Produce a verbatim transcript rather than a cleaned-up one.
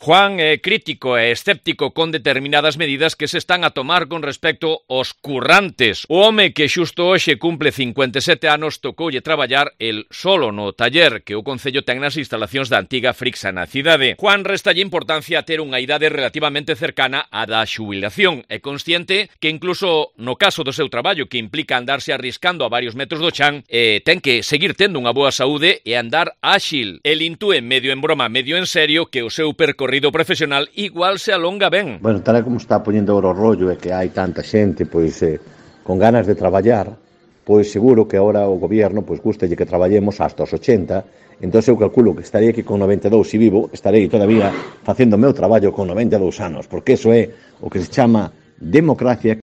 Juan é crítico e escéptico con determinadas medidas que se están a tomar con respecto aos currantes. O home que xusto hoxe cumple cincuenta e sete anos tocoulle traballar el solo no taller que o Concello ten nas instalacións da antiga Frixa na cidade. Juan restalle importancia a ter unha idade relativamente cercana á da xubilación. É consciente que incluso no caso do seu traballo, que implica andarse arriscando a varios metros do chan, eh, ten que seguir tendo unha boa saúde e andar áxil. El intúe medio en broma, medio en serio, que o seu percorrido profesional igual se alonga ben. Bueno, tal como está poñendo o rollo e que hai tanta xente pois eh, con ganas de traballar, pois seguro que agora o goberno pois gústalle que traballemos hasta os ochenta. Entón eu calculo que estarei aquí con noventa e dous e vivo, estarei todavía facendo o meu traballo con noventa e dous anos, porque eso é o que se chama democracia.